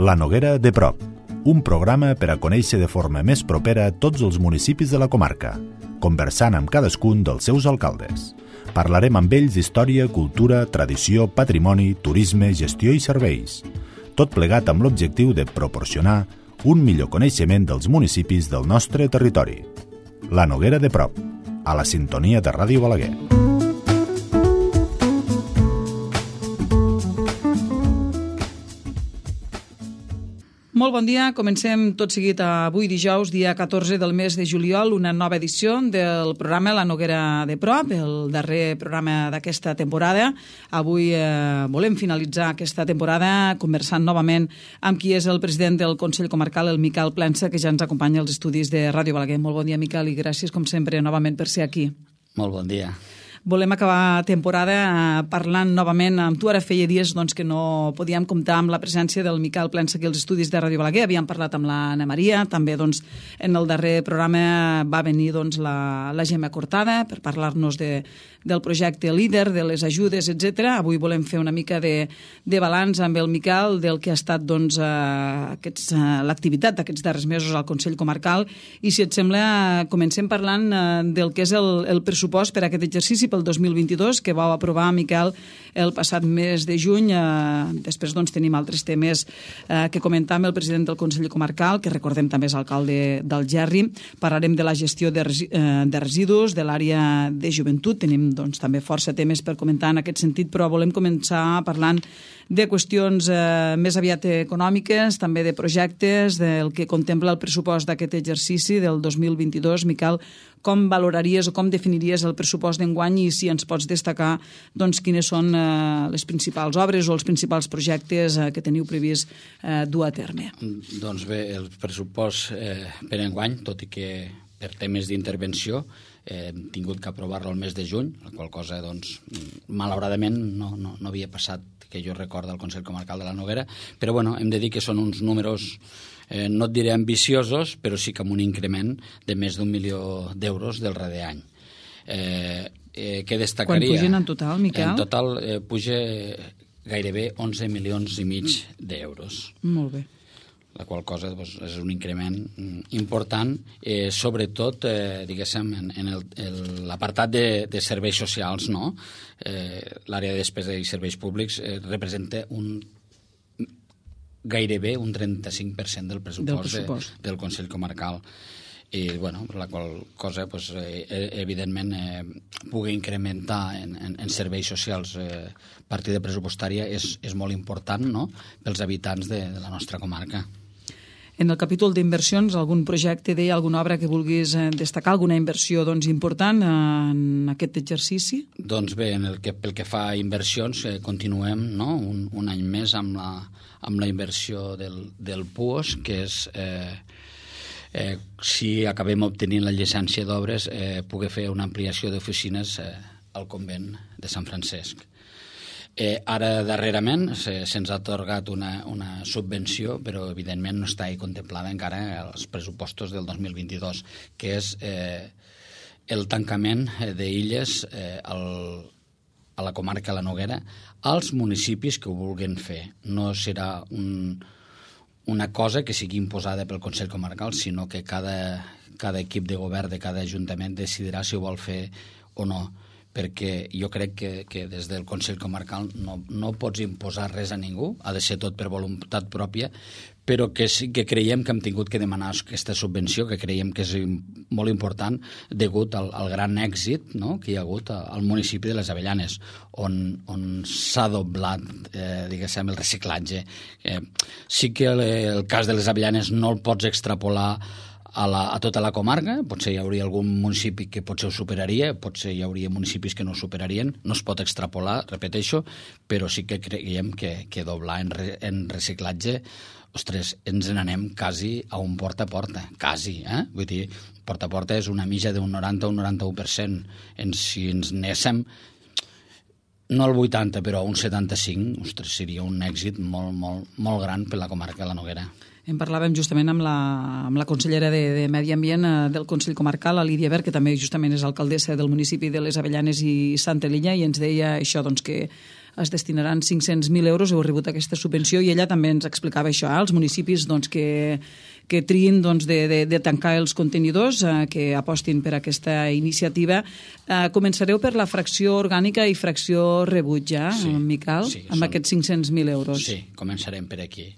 La Noguera de prop, un programa per a conèixer de forma més propera tots els municipis de la comarca, conversant amb cadascun dels seus alcaldes. Parlarem amb ells d'història, cultura, tradició, patrimoni, turisme, gestió i serveis. Tot plegat amb l'objectiu de proporcionar un millor coneixement dels municipis del nostre territori. La Noguera de prop, a la sintonia de Ràdio Balaguer. Molt bon dia, comencem tot seguit avui dijous, dia 14 del mes de juliol, una nova edició del programa La Noguera de prop, el darrer programa d'aquesta temporada. Avui volem finalitzar aquesta temporada conversant novament amb qui és el president del Consell Comarcal, el Miquel Plensa, que ja ens acompanya als estudis de Ràdio Balaguer. Molt bon dia, Miquel, i gràcies, com sempre, novament per ser aquí. Molt bon dia. Volem acabar temporada parlant novament amb tu. Ara feia dies que no podíem comptar amb la presència del Miquel Plensa aquí als estudis de Ràdio Balaguer. Havíem parlat amb l'Anna Maria, també en el darrer programa va venir la Gemma Cortada per parlar-nos del projecte LEADER, de les ajudes, etc. Avui volem fer una mica de balanç amb el Miquel del que ha estat l'activitat d'aquests darrers mesos al Consell Comarcal, i si et sembla comencem parlant del que és el pressupost per a aquest exercici pel 2022, que vau aprovar, Miquel, el passat mes de juny. Després tenim altres temes que comentar amb el president del Consell Comarcal, que recordem també és alcalde d'Algerri. Parlarem de la gestió de residus, de l'àrea de joventut. Tenim també força temes per comentar en aquest sentit, però volem començar parlant de qüestions més aviat econòmiques, també de projectes, del que contempla el pressupost d'aquest exercici del 2022. Miquel, com valoraries o com definiries el pressupost d'enguany, i si ens pots destacar quines són les principals obres o els principals projectes que teniu previst dur a terme? Doncs bé, el pressupost per enguany, tot i que per temes d'intervenció hem tingut que aprovar-lo el mes de juny, la qual cosa, malauradament, no havia passat que jo recordo al Consell Comarcal de la Noguera, però hem de dir que són uns números, no et diré ambiciosos, però sí que amb un increment de més d'1 milió d'euros del darrer any. Què destacaria? Quan pugen en total, Miquel? En total puja gairebé 11 milions i mig d'euros. Molt bé. La qual cosa és un increment important, sobretot, diguéssim, en l'apartat de serveis socials, no? L'àrea de despesa i serveis públics representa gairebé un 35% del pressupost del Consell Comarcal. I, la qual cosa, evidentment, pugui incrementar en serveis socials partida pressupostària és molt important, no?, pels habitants de la nostra comarca. En el capítol d'inversions, algun projecte, alguna obra que vulguis destacar, alguna inversió important en aquest exercici? Doncs bé, pel que fa a inversions, continuem, no?, un any més amb la inversió del PUOS, que és, si acabem obtenint la llicència d'obres, poder fer una ampliació d'oficines al convent de Sant Francesc. Ara, darrerament, se'ns ha atorgat una subvenció, però evidentment no està contemplada encara als pressupostos del 2022, que és el tancament d'illes a la comarca de la Noguera als municipis que ho vulguin fer. No serà una cosa que sigui imposada pel Consell Comarcal, sinó que cada equip de govern de cada ajuntament decidirà si ho vol fer o no, perquè jo crec que des del Consell Comarcal no pots imposar res a ningú, ha de ser tot per voluntat pròpia, però que sí que creiem que hem tingut que demanar aquesta subvenció, que creiem que és molt important degut al gran èxit, no?, que hi ha hagut al municipi de les Avellanes, on s'ha doblat, diguéssim, el reciclatge. Sí que el cas de les Avellanes no el pots extrapolar a tota la comarca, potser hi hauria algun municipi que potser ho superaria, potser hi hauria municipis que no ho superarien, no es pot extrapolar, repeteixo, però sí que creiem que doblar en reciclatge, ostres, ens n'anem quasi a un porta a porta, quasi, vull dir, porta a porta és una mitja d'un 90 o un 91%, si ens anéssim no al 80, però a un 75, ostres, seria un èxit molt, molt, molt gran per la comarca de la Noguera. En parlàvem justament amb la consellera de Medi Ambient del Consell Comarcal, la Lídia Ver, que també justament és alcaldessa del municipi de les Avellanes i Santa Linya, i ens deia això, doncs, que es destinaran 500.000 euros, heu rebut aquesta subvenció, i ella també ens explicava això, els municipis que triïn de tancar els contenidors, que apostin per aquesta iniciativa. Començareu per la fracció orgànica i fracció rebuig, Miquel, amb aquests 500.000 euros. Sí, començarem per aquí.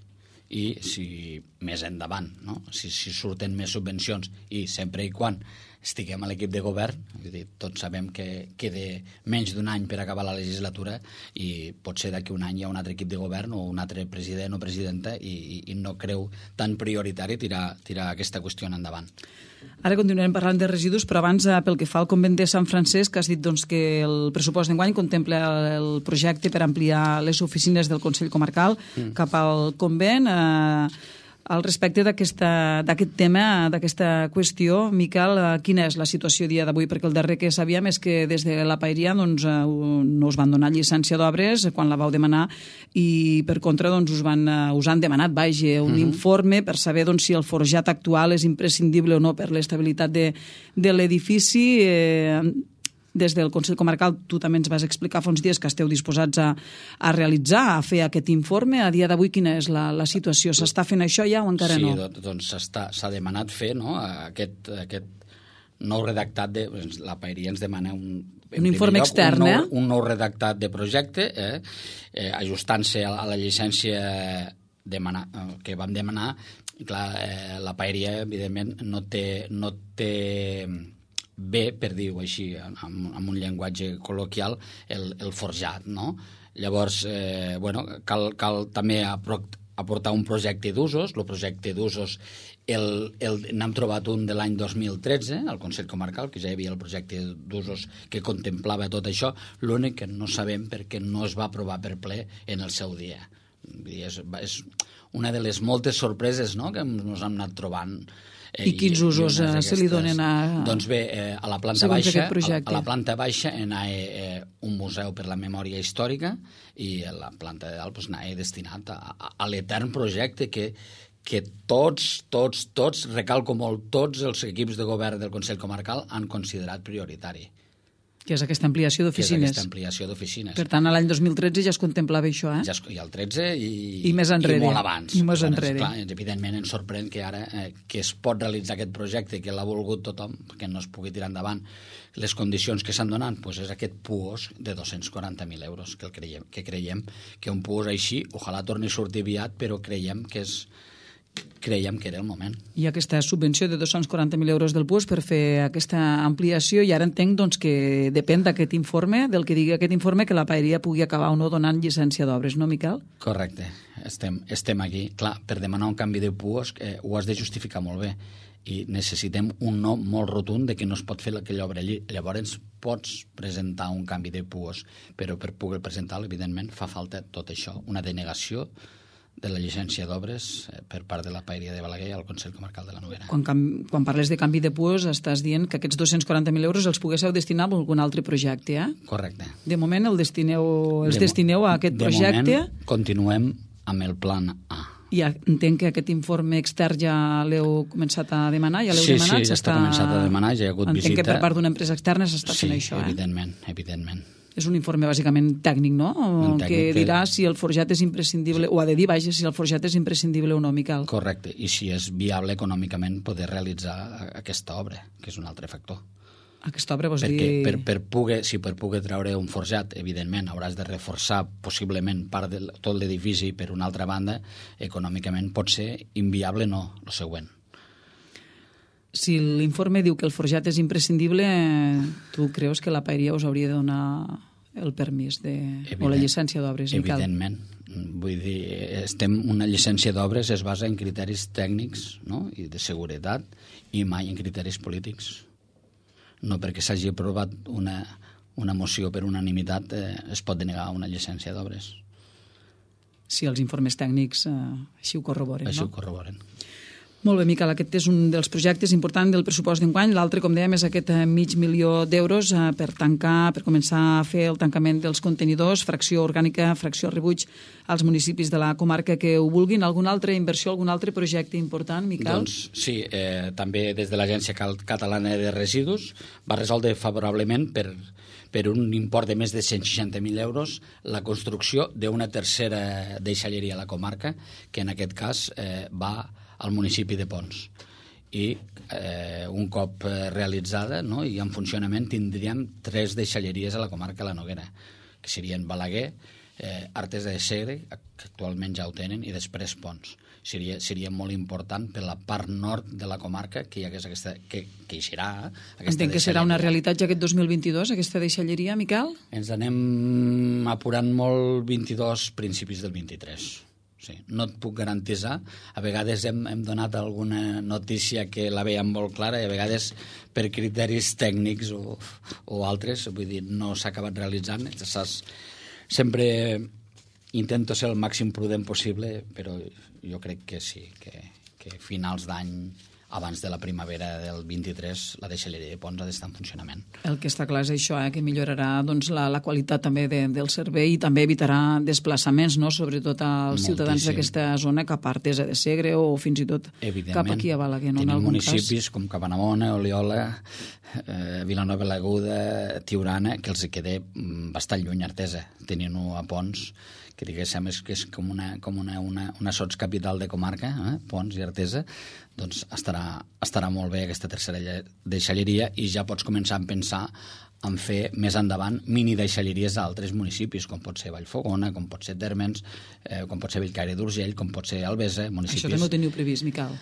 I si més endavant, no? Si surten més subvencions i sempre i quan estiguem a l'equip de govern, tots sabem que queda menys d'un any per acabar la legislatura i potser d'aquí un any hi ha un altre equip de govern o un altre president o presidenta i no creu tan prioritari tirar aquesta qüestió endavant. Ara continuarem parlant de residus, però abans, pel que fa al convent de Sant Francesc, has dit que el pressupost d'enguany contempla el projecte per ampliar les oficines del Consell Comarcal cap al convent. Al respecte d'aquest tema, d'aquesta qüestió, Miquel, quina és la situació a dia d'avui? Perquè el darrer que sabíem és que des de la Paeria no us van donar llicència d'obres quan la vau demanar i, per contra, us han demanat un informe per saber si el forjat actual és imprescindible o no per l'estabilitat de l'edifici. Des del Consell Comarcal tu també ens vas explicar fa uns dies que esteu disposats a realitzar, a fer aquest informe. A dia d'avui quina és la situació? S'està fent això ja o encara no? Sí, doncs s'ha demanat fer aquest nou redactat la Paeria ens demana un informe extern, un nou redactat de projecte, ajustant-se a la llicència que vam demanar. Clar, la Paeria, evidentment, no té bé, per dir-ho així, amb un llenguatge col·loquial, el forjat, no? Llavors, cal també aportar un projecte d'usos. El projecte d'usos n'hem trobat un de l'any 2013, al Consell Comarcal, que ja hi havia el projecte d'usos que contemplava tot això. L'únic que no sabem perquè no es va aprovar per ple en el seu dia. És una de les moltes sorpreses, no?, que ens hem anat trobant. I quins usos se li donen Doncs bé, a la planta baixa anava un museu per la memòria històrica i a la planta de dalt anava destinat a l'etern projecte que tots, recalco molt, tots els equips de govern del Consell Comarcal han considerat prioritari. Que és aquesta ampliació d'oficines. Per tant, a l'any 2013 ja es contemplava això, Ja el 13 i més enrere. I molt abans. I més enrere. Clar, evidentment ens sorprèn que ara que es pot realitzar aquest projecte, que l'ha volgut tothom, que no es pugui tirar endavant, les condicions que s'han donat, és aquest puos de 240.000 euros, que creiem que un puos així, ojalà torni a sortir aviat, però creiem que era el moment. I aquesta subvenció de 240.000 euros del PUOS per fer aquesta ampliació, i ara entenc que depèn d'aquest informe, del que digui aquest informe, que la Paeria pugui acabar o no donant llicència d'obres, no, Miquel? Correcte. Estem aquí. Clar, per demanar un canvi de PUOS ho has de justificar molt bé i necessitem un no molt rotund de que no es pot fer aquella obra allí. Llavors pots presentar un canvi de PUOS, però per poder presentar-lo, evidentment, fa falta tot això, una denegació de la llicència d'obres per part de la Paeria de Balaguer al Consell Comarcal de la Noguera. Quan parles de canvi de PUOS estàs dient que aquests 240.000 euros els poguésseu destinar a algun altre projecte, Correcte. De moment els destineu a aquest projecte? De moment continuem amb el plan A. I entenc que aquest informe extern ja l'heu començat a demanar? Sí, ja està començat a demanar, ja hi ha hagut visita. Entenc que per part d'una empresa externa s'està fent això, Sí, evidentment. És un informe bàsicament tècnic, no? Que dirà si el forjat és imprescindible, o ha de dir, si el forjat és imprescindible o no, Miquel. Correcte, i si és viable econòmicament poder realitzar aquesta obra, que és un altre factor. Aquesta obra vols dir... Si per poder treure un forjat, evidentment, hauràs de reforçar possiblement part de tot l'edifici, per una altra banda, econòmicament pot ser inviable, no, el següent. Si l'informe diu que el forjat és imprescindible, tu creus que la Paeria us hauria de donar el permís o la llicència d'obres? Evidentment. Vull dir, una llicència d'obres es basa en criteris tècnics, no?, i de seguretat, i mai en criteris polítics. No perquè s'hagi aprovat una moció per unanimitat es pot denegar una llicència d'obres. Si els informes tècnics així ho corroboren, no? Així ho corroboren. Molt bé, Miquel, aquest és un dels projectes importants del pressupost d'enguany. L'altre, com dèiem, és aquest $500.000 per començar a fer el tancament dels contenidors, fracció orgànica, fracció rebuig als municipis de la comarca que ho vulguin. Alguna altra inversió, algun altre projecte important, Miquel? Doncs sí, també des de l'Agència Catalana de Residus va resoldre favorablement per per un import de més de 160.000 euros la construcció d'una tercera deixalleria a la comarca, que en aquest cas va al municipi de Pons. I un cop realitzada, no, i en funcionament, tindríem 3 deixalleries a la comarca de la Noguera, que serien Balaguer, Artesa de Segre, que actualment ja ho tenen, i després Pons. Seria molt important per la part nord de la comarca que hi hagués aquesta, que hi serà aquesta. Entenc que serà una realitat ja aquest 2022, aquesta deixalleria, Miquel? Ens anem apurant molt 22, principis del 23. Sí, no et puc garantitzar. A vegades hem donat alguna notícia que la veiem molt clara i a vegades per criteris tècnics o altres, vull dir, no s'ha acabat realitzant. Sempre intento ser el màxim prudent possible, però jo crec que sí, que finals d'any, abans de la primavera del 23, la deixalleria de Pons ha d'estar en funcionament. El que està clar és això, que millorarà doncs, la qualitat també del servei i també evitarà desplaçaments, no? Sobretot als ciutadans d'aquesta zona cap a Artesa de Segre o fins i tot cap aquí a Balaguer. Tenim municipis com Cabanabona, Oliola, Vilanova l'Aguda, Tiurana, que els queda bastant lluny Artesa, tenint-ho a Pons, que diguéssim que és com una sotscapital de comarca, Pons i Artesa, doncs estarà molt bé aquesta tercera deixalleria i ja pots començar a pensar en fer més endavant mini deixalleries d'altres municipis, com pot ser Vallfogona, com pot ser Térmens, com pot ser Bellcaire d'Urgell, com pot ser Albesa, municipis... Això també ho teniu previst, Miquel?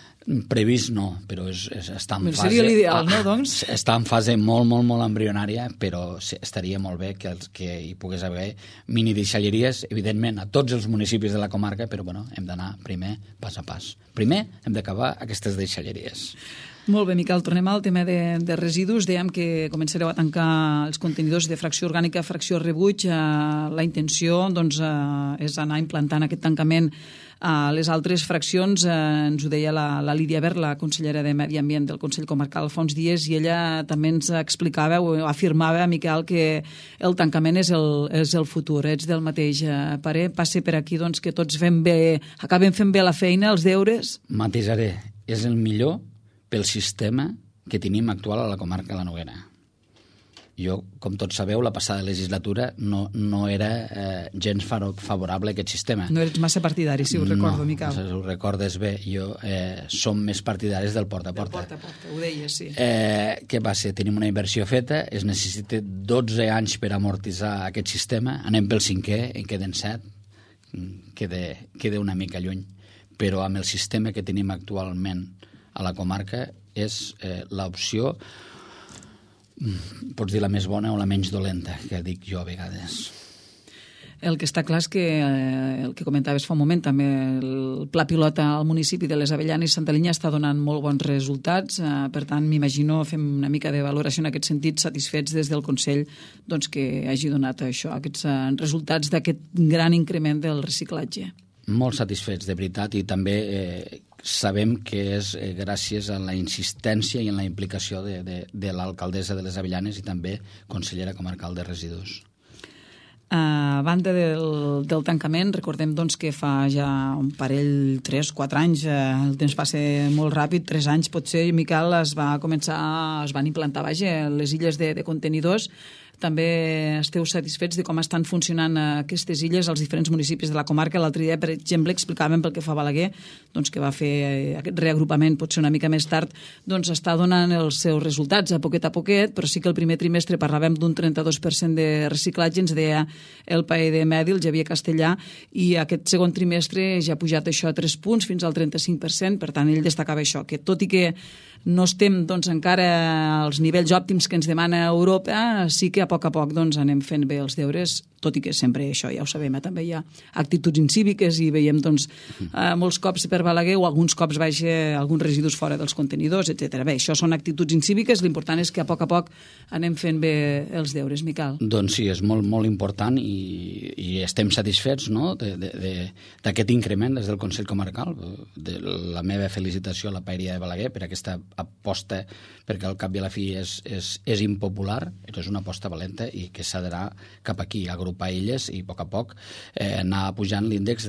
Previst no, però està en fase... Seria l'ideal, no, doncs? Està en fase molt, molt, molt embrionària, però estaria molt bé que hi pogués haver mini deixalleries, evidentment, a tots els municipis de la comarca, però bueno, hem d'anar primer pas a pas. Primer hem d'acabar aquestes deixalleries. Molt bé, Miquel, tornem al tema de residus. Dèiem que començareu a tancar els contenidors de fracció orgànica, fracció rebuig. La intenció doncs, és anar implantant aquest tancament a les altres fraccions. Ens ho deia la Lídia Ver, la consellera de Medi Ambient del Consell Comarcal fa uns dies, i ella també ens explicava o afirmava, Miquel, que el tancament és el futur. Ets del mateix parer? Passi per aquí doncs, que tots acabem fent bé la feina, els deures? Matisaré. És el millor pel sistema que tenim actual a la comarca de la Noguera. Jo, com tots sabeu, la passada legislatura no era gens favorable a aquest sistema. No eres massa partidari, si ho recordo, Miquel. No, ho recordes bé. Jo som més partidaris del porta a porta. Del porta a porta, ho deies, sí. Què passa? Tenim una inversió feta, es necessita 12 anys per amortitzar aquest sistema, anem pel 5è, en queden 7, queda una mica lluny. Però amb el sistema que tenim actualment a la comarca és l'opció, pots dir la més bona o la menys dolenta, que dic jo a vegades. El que està clar és que el que comentaves fa un moment, també el pla pilota al municipi de les Avellanes i Santa Linya està donant molt bons resultats, per tant m'imagino fem una mica de valoració en aquest sentit, satisfets des del Consell doncs, que hagi donat això, aquests resultats d'aquest gran increment del reciclatge. Molt satisfets, de veritat, i també sabem que és gràcies a la insistència i en la implicació de l'alcaldessa de les Avellanes i també consellera comarcal de residus. A banda del tancament, recordem doncs, que fa ja un parell, 3-4 anys, el temps passa molt ràpid, 3 anys potser, Miquel, es van implantar les illes de contenidors. També esteu satisfets de com estan funcionant aquestes illes als diferents municipis de la comarca. L'altre dia, per exemple, explicàvem pel que fa a Balaguer, doncs, que va fer aquest reagrupament potser una mica més tard, doncs està donant els seus resultats a poquet, però sí que el primer trimestre parlàvem d'un 32% de reciclatge, ens deia el paer de Medi, el Xavier Castellà, i aquest segon trimestre ja ha pujat això a 3 punts fins al 35%, per tant ell destacava això, que tot i que no estem doncs, encara als nivells òptims que ens demana Europa, sí que a poc doncs, anem fent bé els deures, tot i que sempre això, ja ho sabem, també hi ha actituds incíviques i veiem doncs, molts cops per Balaguer o alguns cops alguns residus fora dels contenidors, etc. Bé, això són actituds incíviques, l'important és que a poc anem fent bé els deures, Miquel. Doncs sí, és molt, molt important i estem satisfets, no?, d'aquest increment des del Consell Comarcal. La meva felicitació a la paeria de Balaguer per aquesta aposta, perquè al cap i a la fi és impopular, però és una aposta valenta i que s'ha d'anar cap aquí, agrupar illes i a poc anar pujant l'índex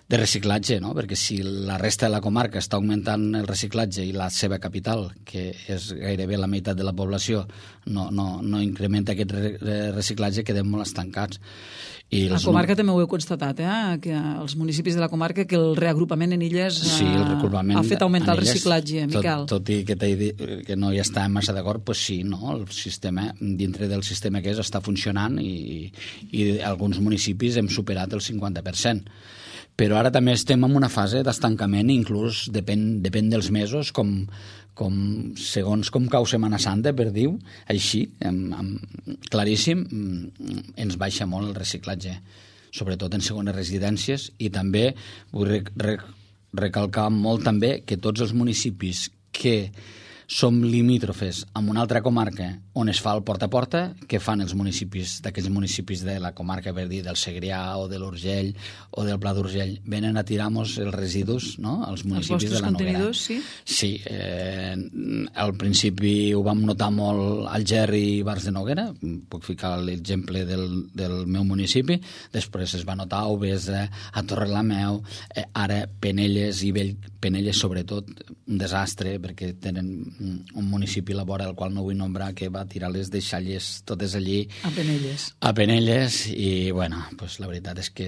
de reciclatge, no? Perquè si la resta de la comarca està augmentant el reciclatge i la seva capital, que és gairebé la meitat de la població, no incrementa aquest reciclatge, quedem molt estancats. I la comarca també ho he constatat, que els municipis de la comarca, que el reagrupament en illes ha fet augmentar el reciclatge, Miquel. Tot i que t'he dit que no hi està massa d'acord, doncs sí, no? El sistema, dintre del sistema que està funcionant i alguns municipis hem superat el 50%. Però ara també estem en una fase d'estancament, inclús depèn dels mesos, segons com cau Setmana Santa, per dir-ho així, claríssim, ens baixa molt el reciclatge, sobretot en segones residències, i també vull recalcar molt també que tots els municipis que som limítrofes amb una altra comarca on es fa el porta a porta, que fan els municipis, d'aquells municipis de la comarca, per dir, del Segrià o de l'Urgell o del Pla d'Urgell, venen a tirar-nos els residus, no?, als municipis de la Noguera. Els vostres contenidors, sí? Sí, al principi ho vam notar molt al Gerri i Bars de Noguera, puc ficar l'exemple del meu municipi, després es va notar a Obesa, a Torrelameu, ara Penelles i Penelles sobretot, un desastre, perquè tenen un municipi a la vora, el qual no vull nombrar, que va tirar les deixalles totes allí a Penelles, i bueno, pues la veritat és que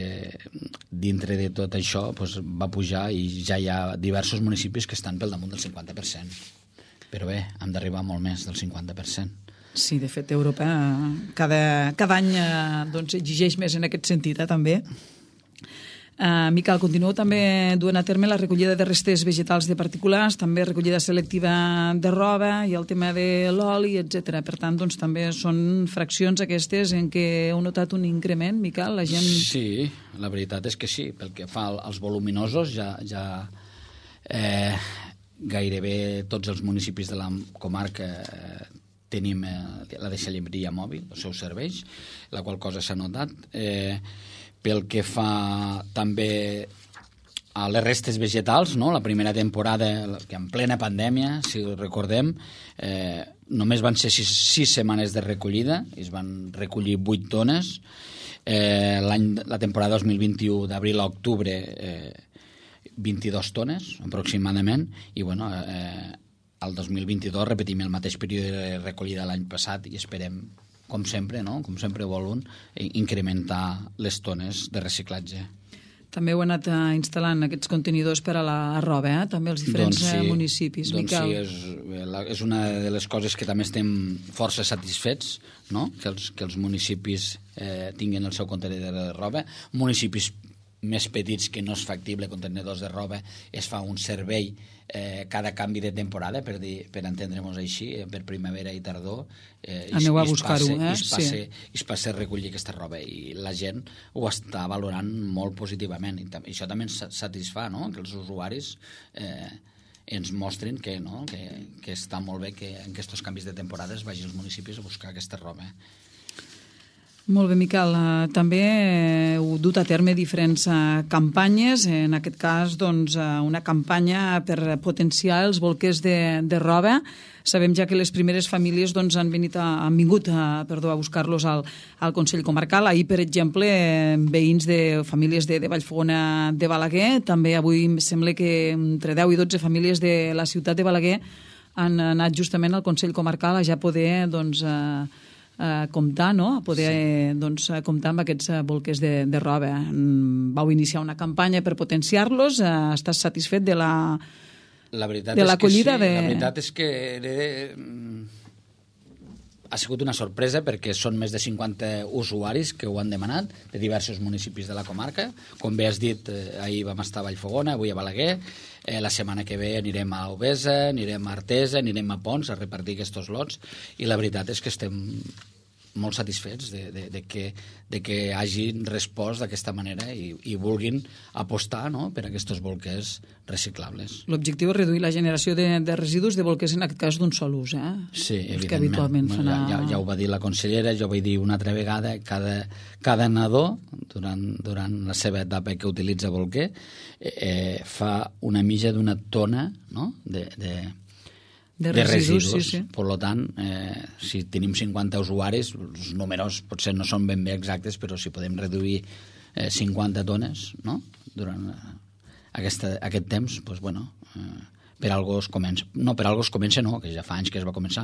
dintre de tot això pues, va pujar, i ja hi ha diversos municipis que estan pel damunt del 50%, però bé, hem d'arribar molt més del 50%. Sí, de fet, Europa cada any doncs, exigeix més en aquest sentit, també. Miquel, continueu també duent a terme la recollida de restes vegetals de particulars, també recollida selectiva de roba i el tema de l'oli, etc. Per tant, doncs, també són fraccions aquestes en què heu notat un increment, Miquel? La gent... Sí, la veritat és que sí. Pel que fa als voluminosos, ja gairebé tots els municipis de la comarca tenim la deixalleria mòbil, els seus serveis, la qual cosa s'ha notat. Pel que fa també a les restes vegetals, no? La primera temporada, que en plena pandèmia, si recordem, només van ser 6 setmanes de recollida, i es van recollir 8 tones. La temporada 2021, d'abril a octubre, 22 tones, aproximadament, i bueno, el 2022 repetim el mateix període de recollida l'any passat i esperem, com sempre, no? Com sempre volen, incrementar les tones de reciclatge. També heu anat instal·lant aquests contenidors per a la roba, també als diferents municipis, Miquel. Doncs sí, és una de les coses que també estem força satisfets, no? Que els municipis tinguin el seu contenidor de roba. Municipis més petits que no és factible contenidors de roba, es fa un servei cada canvi de temporada, per entendre-nos així, per primavera i tardor. Aneu a buscar-ho, es passa a recollir aquesta roba, i la gent ho està valorant molt positivament, i això també ens satisfà, no?, que els usuaris ens mostrin que està molt bé que en aquests canvis de temporades vagin als municipis a buscar aquesta roba. Molt bé, Miquel. També heu dut a terme diferents campanyes, en aquest cas doncs, una campanya per potenciar els bolquers de roba. Sabem ja que les primeres famílies doncs, han vingut a buscar-los al Consell Comarcal. Ahir, per exemple, veïns de famílies de Vallfogona de Balaguer, també avui em sembla que entre 10 i 12 famílies de la ciutat de Balaguer han anat justament al Consell Comarcal a ja poder doncs, comptar, no? A poder comptar amb aquests bolquers de roba. Vau iniciar una campanya per potenciar-los. Estàs satisfet de l'acollida? La veritat és que ha sigut una sorpresa, perquè són més de 50 usuaris que ho han demanat, de diversos municipis de la comarca. Com bé has dit, ahir vam estar a Vallfogona, avui a Balaguer. La setmana que ve anirem a Obesa, anirem a Artesa, anirem a Pons a repartir aquests lots, i la veritat és que estem molt satisfets de que hagin respost d'aquesta manera i vulguin apostar, no?, per aquests bolquers reciclables. L'objectiu és reduir la generació de residus de bolquers, en aquest cas d'un sol ús, Sí, evidentment. Que habitualment fan ja ho va dir la consellera, jo ho vaig dir una altra vegada, cada nadó, durant la seva etapa que utilitza bolquer, fa una mitja d'una tona, no?, de residus. Sí. Per tant, si tenim 50 usuaris, els números potser no són ben bé exactes, però si podem reduir 50 tones, no?, durant aquest temps, doncs, bueno, per algo es comença. No, per algo es comença no, que ja fa anys que es va començar,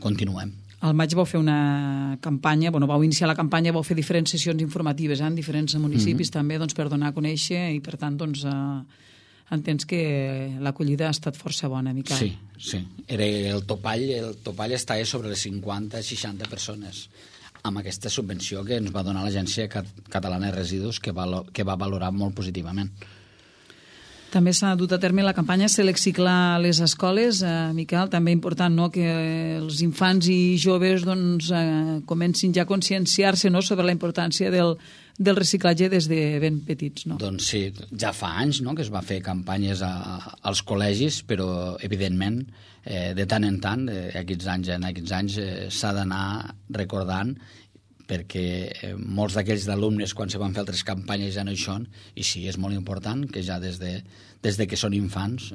continuem. Al maig vau fer una campanya, vau iniciar la campanya, vau fer diferents sessions informatives en diferents municipis també, doncs, per donar a conèixer, i per tant, doncs, entens que l'acollida ha estat força bona, Miquel. Sí. Era el topall estava sobre les 50-60 persones, amb aquesta subvenció que ens va donar l'Agència Catalana de Residus, que va valorar molt positivament. També s'ha dut a terme la campanya Seleciclar a les escoles. Miquel, també important, no?, que els infants i joves doncs, comencin ja a conscienciar-se, no?, sobre la importància del reciclatge des de ben petits. No? Doncs sí, ja fa anys, no?, que es va fer campanyes als col·legis, però evidentment de tant en tant, aquests anys s'ha d'anar recordant, perquè molts d'aquells d'alumnes quan se van fer altres campanyes ja no hi són, i sí, és molt important que ja des de que són infants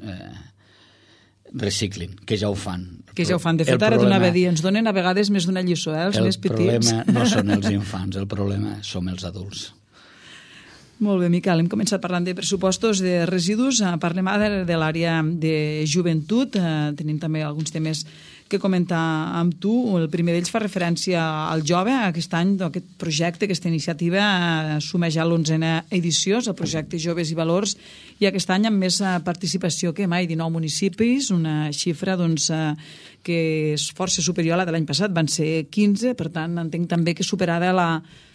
reciclin, que ja ho fan. Que ja ho fan. De fet, ara t'anava a dir, ens donen a vegades més d'una lliçó, els més petits. El problema no són els infants, el problema som els adults. Molt bé, Miquel, hem començat parlant de pressupostos de residus, parlem ara de l'àrea de joventut, tenim també alguns temes que comentar amb tu. El primer d'ells fa referència al jove. Aquest any, aquest projecte, aquesta iniciativa suma ja l'11a edició, el projecte Joves i Valors, i aquest any amb més participació que mai, 19 municipis, una xifra doncs, que és força superior a la de l'any passat, van ser 15, per tant entenc també que superada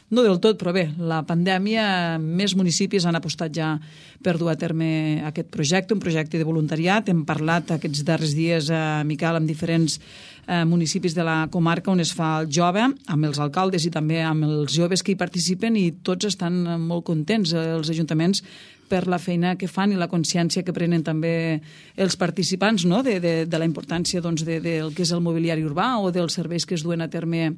no del tot, però bé, la pandèmia, més municipis han apostat ja per dur a terme aquest projecte, un projecte de voluntariat. Hem parlat aquests darrers dies, Miquel, amb diferents municipis de la comarca on es fa el jove, amb els alcaldes i també amb els joves que hi participen, i tots estan molt contents, els ajuntaments, per la feina que fan i la consciència que prenen també els participants, no?, de la importància doncs, del que és el mobiliari urbà o dels serveis que es duen a terme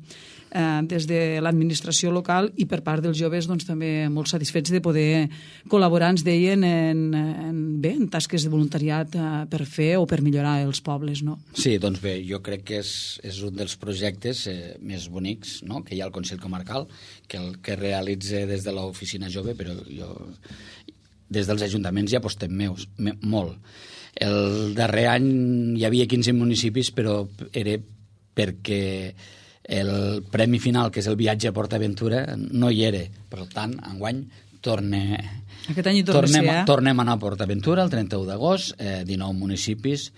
des de l'administració local, i per part dels joves doncs, també molt satisfets de poder col·laborar, ens deien, en tasques de voluntariat per fer o per millorar els pobles. No? Sí, doncs bé, jo crec que és un dels projectes més bonics, no?, que hi ha al Consell Comarcal, que realitza des de l'oficina jove, però des dels ajuntaments ja apostem molt. El darrer any hi havia 15 municipis, però era perquè el premi final, que és el viatge a PortAventura, no hi era. Per tant, enguany tornem a anar a PortAventura el 31 d'agost, 19 municipis,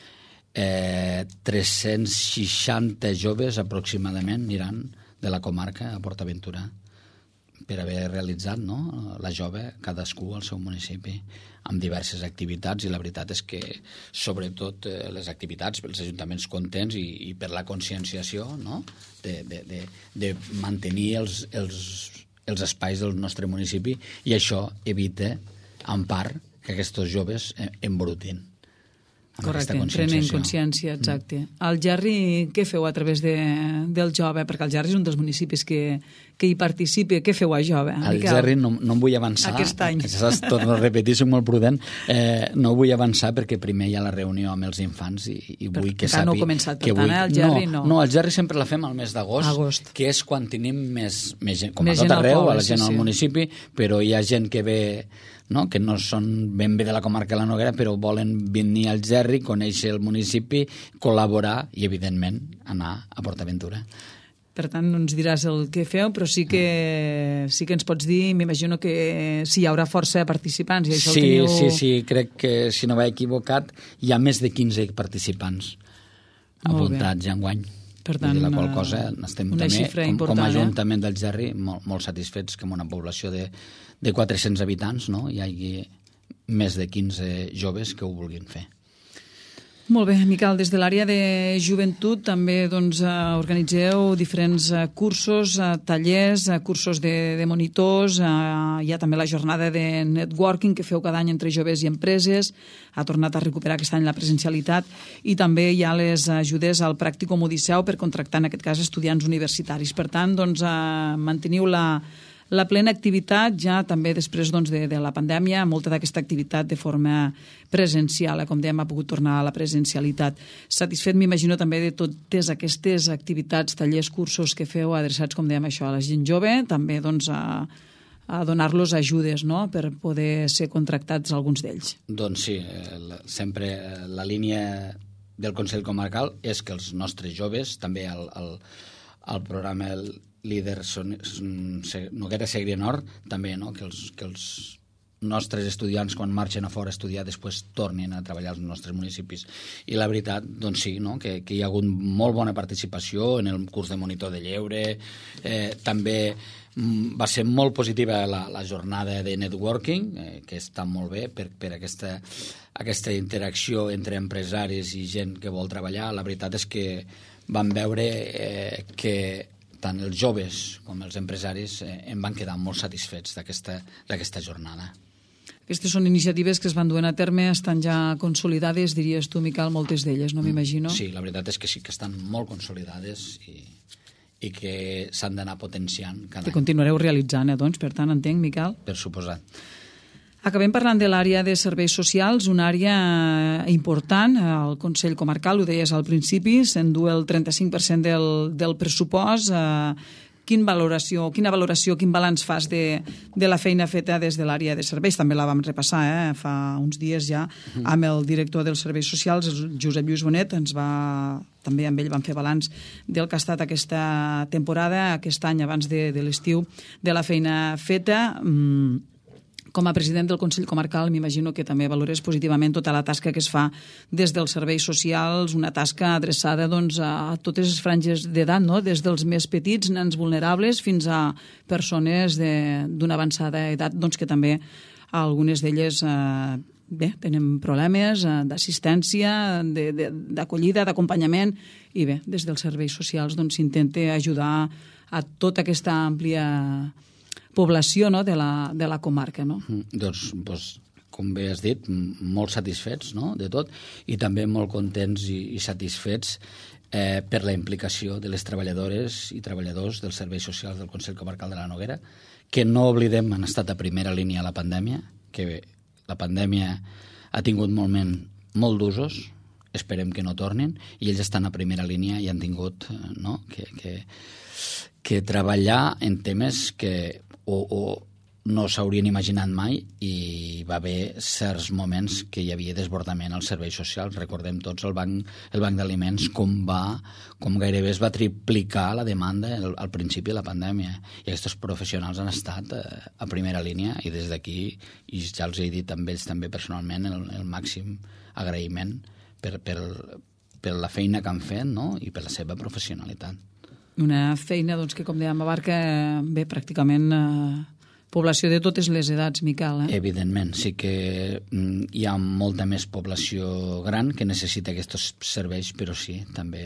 360 joves aproximadament aniran de la comarca a PortAventura per haver realitzat, no?, la jove, cadascú al seu municipi, amb diverses activitats, i la veritat és que, sobretot, les activitats, els ajuntaments contents i per la conscienciació, no?, de mantenir els espais del nostre municipi, i això evita, en part, que aquests joves embrutin. Correcte, prenen consciència, exacte. Al Gerri, què feu a través del jove? Perquè el Gerri és un dels municipis que hi participa. Què feu a jove? Al Gerri no em vull avançar. Aquest any. Torno a repetir, soc molt prudent. No vull avançar perquè primer hi ha la reunió amb els infants i vull que sàpiga... No heu començat, per tant, al Gerri no. No, al Gerri sempre la fem al mes d'agost, que és quan tenim més gent, com a tot arreu, a la gent al municipi, però hi ha gent que ve... No? Que no són ben bé de la comarca de la Noguera, però volen venir al Gerri, conèixer el municipi, col·laborar i, evidentment, anar a PortAventura. Per tant, no ens diràs el que feu, però sí que ens pots dir, m'imagino que sí, hi haurà força participants. I això Sí, crec que, si no vaig equivocat, hi ha més de 15 participants apuntats ja enguany. Per tant, la qual cosa estem també, com a Ajuntament del Gerri, molt satisfets que en una població de 400 habitants, no?, hi hagi més de 15 joves que ho vulguin fer. Molt bé, Miquel, des de l'àrea de joventut també doncs, organitzeu diferents cursos, tallers, cursos de monitors, hi ha també la jornada de networking que feu cada any entre joves i empreses, ha tornat a recuperar aquest any la presencialitat, i també hi ha les ajudes al Pràcticum Odisseu per contractar, en aquest cas, estudiants universitaris. Per tant, doncs, manteniu la plena activitat ja també després doncs, de la pandèmia, molta d'aquesta activitat de forma presencial, com dèiem, ha pogut tornar a la presencialitat. Satisfet, m'imagino, també de totes aquestes activitats, tallers, cursos que feu adreçats, com dèiem, això, a la gent jove, també doncs, a donar-los ajudes, no?, per poder ser contractats alguns d'ells. Doncs sí, sempre la línia del Consell Comarcal és que els nostres joves, també al programa líder Noguera Segrià Nord, també, no?, que els nostres estudiants, quan marxen a fora a estudiar, després tornin a treballar als nostres municipis. I la veritat, doncs sí, no?, que hi ha hagut molt bona participació en el curs de monitor de lleure. També va ser molt positiva la jornada de networking, que està molt bé per aquesta interacció entre empresaris i gent que vol treballar. La veritat és que vam veure que tant els joves com els empresaris en van quedar molt satisfets d'aquesta jornada. Aquestes són iniciatives que es van duent a terme, estan ja consolidades, diries tu, Miquel, moltes d'elles, no m'imagino? Sí, la veritat és que sí, que estan molt consolidades i que s'han d'anar potenciant cada any. Que continuareu realitzant, doncs, per tant, entenc, Miquel? Per suposat. Acabem parlant de l'àrea de serveis socials, una àrea important al Consell Comarcal, ho deies al principi, s'endú el 35% del pressupost. Quina valoració, quin balanç fas de la feina feta des de l'àrea de serveis? També la vam repassar fa uns dies ja amb el director dels serveis socials, Josep Lluís Bonet, també amb ell vam fer balanç del que ha estat aquesta temporada, aquest any abans de l'estiu, de la feina feta. Com a president del Consell Comarcal m'imagino que també valores positivament tota la tasca que es fa des dels serveis socials, una tasca adreçada doncs, a totes les franges d'edat, no?, des dels més petits, nens vulnerables, fins a persones d'una avançada edat, doncs, que també algunes d'elles tenen problemes d'assistència, d'acollida, d'acompanyament, i bé, des dels serveis socials doncs, s'intenta ajudar a tota aquesta àmplia població, no?, de la comarca, no? Doncs, com bé has dit, molt satisfets, no?, de tot, i també molt contents i satisfets per la implicació de les treballadores i treballadors dels serveis socials del Consell Comarcal de la Noguera, que no oblidem han estat a primera línia a la pandèmia, que la pandèmia ha tingut molt d'usos, esperem que no tornin, i ells estan a primera línia i han tingut, no?, que treballar en temes que o no s'haurien imaginat mai, i va haver certs moments que hi havia desbordament als serveis socials. Recordem tots el banc d'aliments com gairebé es va triplicar la demanda al principi de la pandèmia, i aquests professionals han estat a primera línia, i des d'aquí, i ja els he dit a ells també personalment, el màxim agraïment per la feina que han fet, no?, i per la seva professionalitat. Una feina doncs, que, com dèiem, abarca bé pràcticament població de totes les edats, Miquel. Evidentment, sí que hi ha molta més població gran que necessita aquests serveis, però sí, també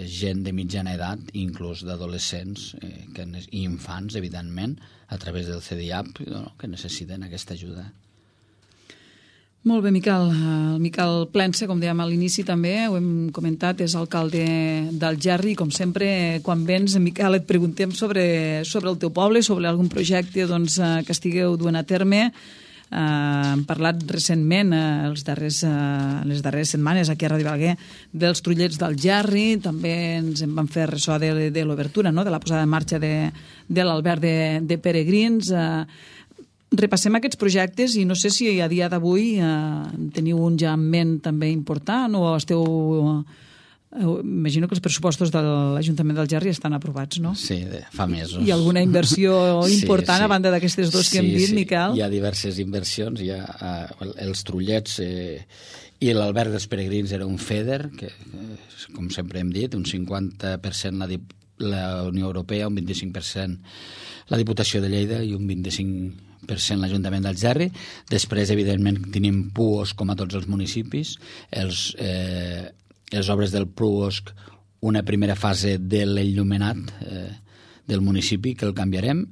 gent de mitjana edat, inclús d'adolescents i infants, evidentment, a través del CDIAP, que necessiten aquesta ajuda. Molt bé, Miquel. El Miquel Plensa, com dèiem a l'inici també, ho hem comentat, és alcalde d'Algerri. Com sempre, quan vens, Miquel, et preguntem sobre el teu poble, sobre algun projecte doncs, que estigueu duent a terme. Hem parlat recentment, les darreres setmanes, aquí a Ràdio Balaguer, dels trullets d'Algerri. També ens en vam fer ressò de l'obertura, no?, de la posada en marxa de l'alberg de peregrins. Repassem aquests projectes i no sé si a dia d'avui teniu un ja en ment també important o esteu... Imagino que els pressupostos de l'Ajuntament d'Algerri estan aprovats, no? Sí, fa mesos. Hi ha alguna inversió important a banda d'aquestes dues que hem dit, Miquel? Hi ha diverses inversions. Hi ha els trullets i l'alberg dels peregrins era un FEDER, que, com sempre hem dit, un 50% la Unió Europea, un 25% la Diputació de Lleida i un 25% l'Ajuntament d'Algerri. Després, evidentment, tenim PUOSC com a tots els municipis. Les obres del PUOSC, una primera fase de l'enllumenat del municipi, que el canviarem.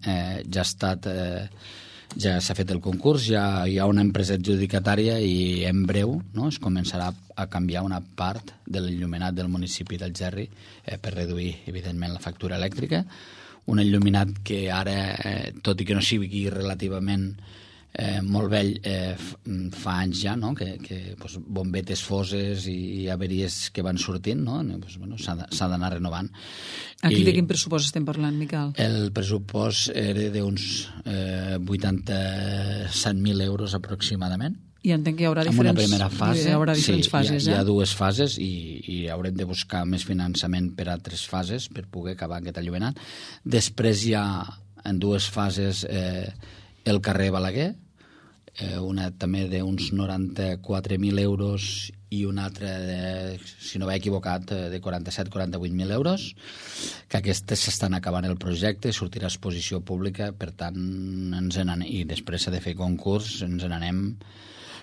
Ja s'ha fet el concurs, ja hi ha una empresa adjudicatària i en breu, no?, es començarà a canviar una part de l'enllumenat del municipi d'Algerri per reduir, evidentment, la factura elèctrica. Un enlluminat que ara, tot i que no sigui relativament molt vell fa anys ja, no? que bombetes foses i averies que van sortint, no? S'ha d'anar renovant. Aquí de quin pressupost estem parlant, Miquel? El pressupost era d'uns 87.000 euros aproximadament. I entenc que hi haurà diferents, una primera fase, hi haurà diferents fases. Hi ha dues fases i haurem de buscar més finançament per a 3 fases per poder acabar aquest allumenat. Després hi ha en 2 fases el carrer Balaguer, una també d'uns 94.000 euros i una altra, si no m'he equivocat, de 47-48.000 euros, que aquestes s'estan acabant el projecte, sortirà a exposició pública, per tant, i després s'ha de fer concurs, ens n'anem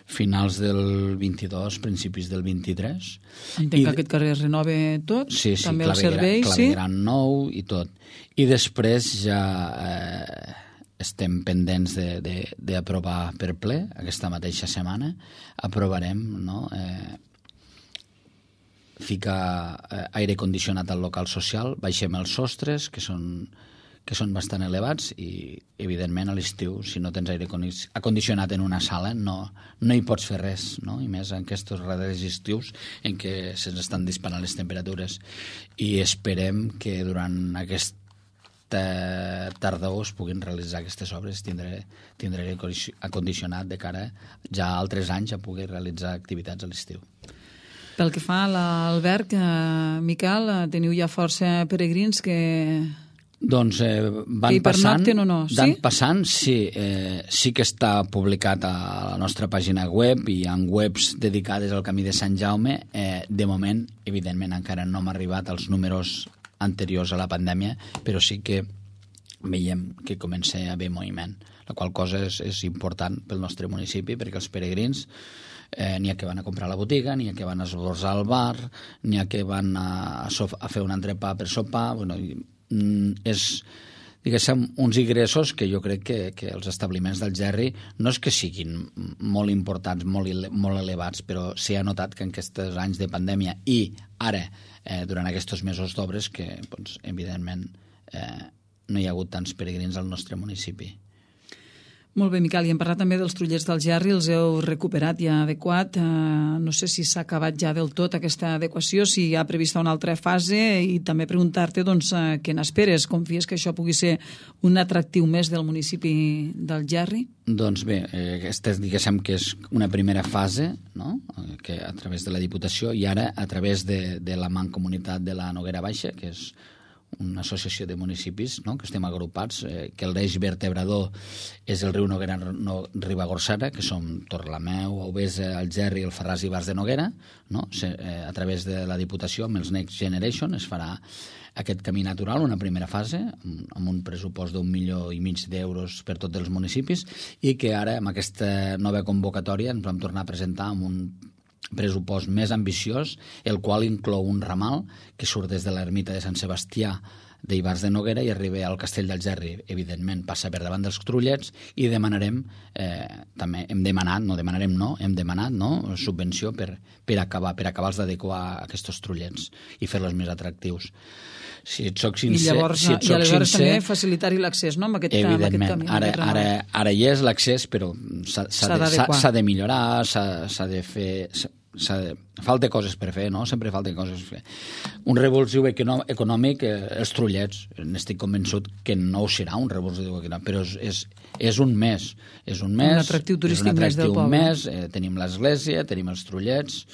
finals del 22, principis del 23. Entenc que aquest carrer es renova tot? Sí, també el servei, clavegueran nou i tot. I després ja estem pendents d'aprovar per ple, aquesta mateixa setmana, aprovarem, no?, ficar aire condicionat al local social, baixem els sostres, que són bastant elevats, i evidentment a l'estiu, si no tens aire acondicionat en una sala, no hi pots fer res, no? I més en aquests darrers estius en què se'ns estan disparant les temperatures. I esperem que durant aquesta tardor es puguin realitzar aquestes obres, tindré aire acondicionat de cara ja a altres anys a poder realitzar activitats a l'estiu. Pel que fa a l'alberg, Miquel, teniu ja força peregrins que... Doncs van passant, sí? Sí que està publicat a la nostra pàgina web i en webs dedicades al Camí de Sant Jaume. De moment, evidentment, encara no hem arribat als números anteriors a la pandèmia, però sí que veiem que comença a haver moviment, la qual cosa és important pel nostre municipi, perquè els peregrins n'hi ha que van a comprar a la botiga, n'hi ha que van a esmorzar al bar, n'hi ha que van a fer un entrepà per sopar, és, diguéssim, uns ingressos que jo crec que els establiments del Gerri no és que siguin molt importants, molt elevats, però s'hi ha notat que en aquests anys de pandèmia i ara, durant aquests mesos d'obres, que evidentment no hi ha hagut tants peregrins al nostre municipi. Molt bé, Miquel, i hem parlat també dels trullers del Gerri, els heu recuperat ja adequat. No sé si s'ha acabat ja del tot aquesta adequació, si hi ha prevista una altra fase, i també preguntar-te què n'esperes, confies que això pugui ser un atractiu més del municipi del Gerri? Doncs bé, aquesta diguéssim que és una primera fase, no?, que a través de la Diputació, i ara a través de la Mancomunitat de la Noguera Baixa, que és una associació de municipis, no?, que estem agrupats, que el l'eix vertebrador és el riu Noguera Ribagorçana, que som Torlameu, Aubesa, Algerri, el Farràs i Bars de Noguera, no? A través de la Diputació, amb els Next Generation, es farà aquest camí natural, una primera fase, amb un pressupost d'1,5 milió d'euros per tots els municipis, i que ara, amb aquesta nova convocatòria, ens vam tornar a presentar amb un pressupost més ambiciós, el qual inclou un ramal que surt des de l'ermita de Sant Sebastià d'Ibars de Noguera i arriba al Castell del Gerri. Evidentment passa per davant dels Trullets, i demanarem, també hem demanat subvenció per acabar-los d'adequar a aquests Trullets i fer-los més atractius. Si et soc sincer... I aleshores també facilitar-hi l'accés, no?, amb aquest camí. Evidentment, ara hi és l'accés, però s'ha de millorar, s'ha de fer... Falta coses per fer, no? Sempre falta coses per fer. Un revulsiu econòmic, els Trullets, n'estic convençut que no ho serà un revulsiu econòmic, però és un més. És un atractiu turístic més del poble. Tenim l'església, tenim els Trullets.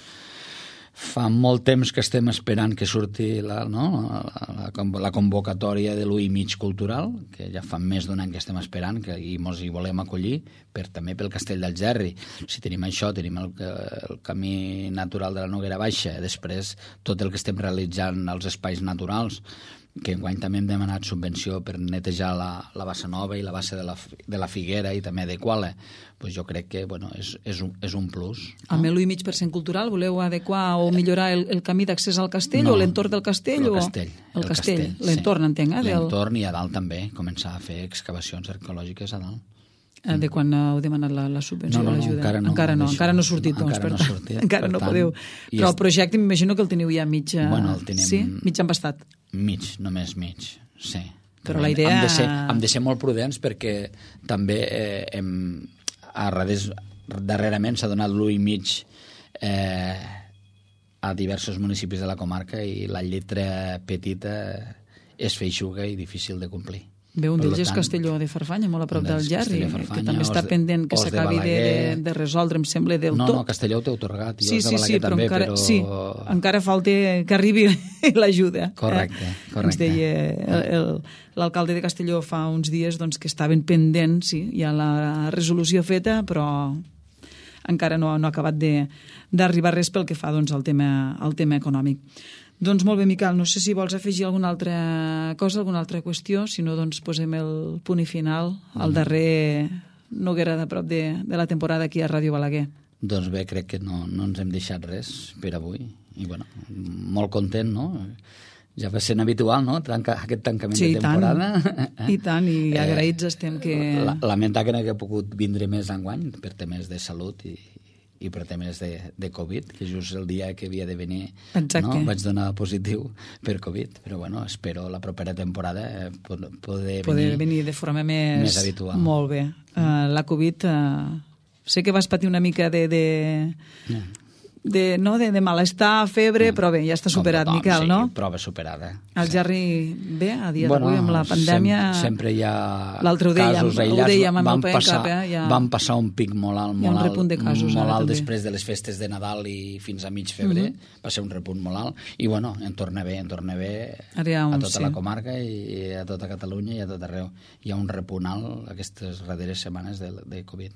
Fa molt temps que estem esperant que surti la convocatòria de l'1,5 cultural, que ja fa més d'un any que estem esperant, i ens hi volem acollir, també pel Castell del Gerri. Si tenim això, tenim el camí natural de la Noguera Baixa, després tot el que estem realitzant als espais naturals, que enguany també hem demanat subvenció per netejar la bassa nova i la bassa de la Figuera i també adequar-la. Pues jo crec que és un plus. No? Amb l'1,5% cultural voleu adequar o millorar el camí d'accés al castell, o l'entorn del castell? El castell. L'entorn, entenc. L'entorn, i a dalt també, començar a fer excavacions arqueològiques a dalt. De quan heu demanat la subvenció, l'ajuda? Encara no ha sortit, doncs. Encara no podeu. Però el projecte m'imagino que el teniu ja mig... Sí? Mig embastat. Només mig, sí. Però la idea... Hem de ser molt prudents, perquè també darrerament s'ha donat l'1,5 a diversos municipis de la comarca i la lletra petita és feixuga i difícil de complir. Bé, un d'ells és Castelló de Farfanya, molt a prop del Gerri, que també està pendent que s'acabi de resoldre, em sembla, del tot. No, Castelló t'he atorgat, i els de Balaguer també, però... Sí, encara falta que arribi l'ajuda. Correcte. Ens deia l'alcalde de Castelló fa uns dies que estaven pendents, sí, hi ha la resolució feta, però encara no ha acabat d'arribar res pel que fa al tema econòmic. Doncs molt bé, Miquel, no sé si vols afegir alguna altra cosa, alguna altra qüestió, si no, posem el punt i final al darrer Noguera de prop de la temporada aquí a Ràdio Balaguer. Doncs bé, crec que no ens hem deixat res per avui. I bueno, molt content, no? Ja va sent habitual, no?, aquest tancament de temporada. I tant, i agraïts estem que... Lamentar que no hagi pogut vindre més enguany per temes de salut i per temes de Covid, que just el dia que havia de venir vaig donar positiu per Covid, però bueno, espero la propera temporada poder venir de forma més habitual. Molt bé. La Covid, sé que vas patir una mica de malestar, febre, però bé, ja està superat, Miquel, no? Sí, prova superada. El Gerri, bé, a dia d'avui, amb la pandèmia... Sempre hi ha casos aïllats. Van passar un pic molt alt, hi ha un repunt de casos molt alt després de les festes de Nadal i fins a mig febrer. Va ser un repunt molt alt. I bueno, en torna bé a tota la comarca i a tota Catalunya i a tot arreu. Hi ha un repunt alt aquestes darreres setmanes de Covid.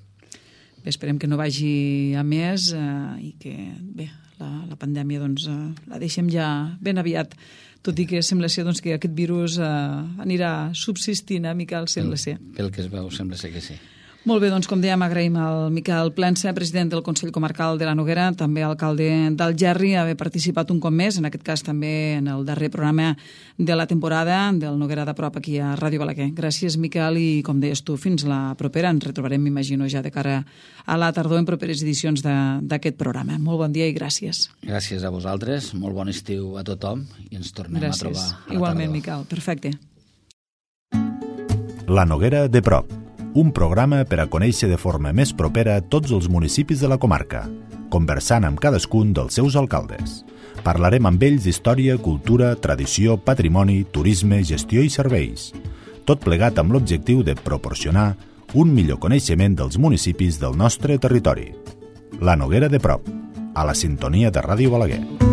Esperem que no vagi a més i que, bé, la pandèmia la deixem ja ben aviat, tot i que sembla ser que aquest virus anirà subsistint, Miquel, sembla ser. Pel que es veu, sembla ser que sí. Molt bé, doncs com dèiem, agraïm al Miquel Plensa, president del Consell Comarcal de la Noguera, també alcalde del Gerri, haver participat un cop més, en aquest cas també en el darrer programa de la temporada del Noguera de prop aquí a Ràdio Balaguer. Gràcies, Miquel, i com deies tu, fins la propera. Ens retrobarem, m'imagino, ja de cara a la tardor en properes edicions d'aquest programa. Molt bon dia i gràcies. Gràcies a vosaltres, molt bon estiu a tothom i ens tornem a trobar a la tardor. Igualment, Miquel, perfecte. La Noguera de prop, un programa per a conèixer de forma més propera tots els municipis de la comarca, conversant amb cadascun dels seus alcaldes. Parlarem amb ells d'història, cultura, tradició, patrimoni, turisme, gestió i serveis. Tot plegat amb l'objectiu de proporcionar un millor coneixement dels municipis del nostre territori. La Noguera de prop, a la sintonia de Ràdio Balaguer.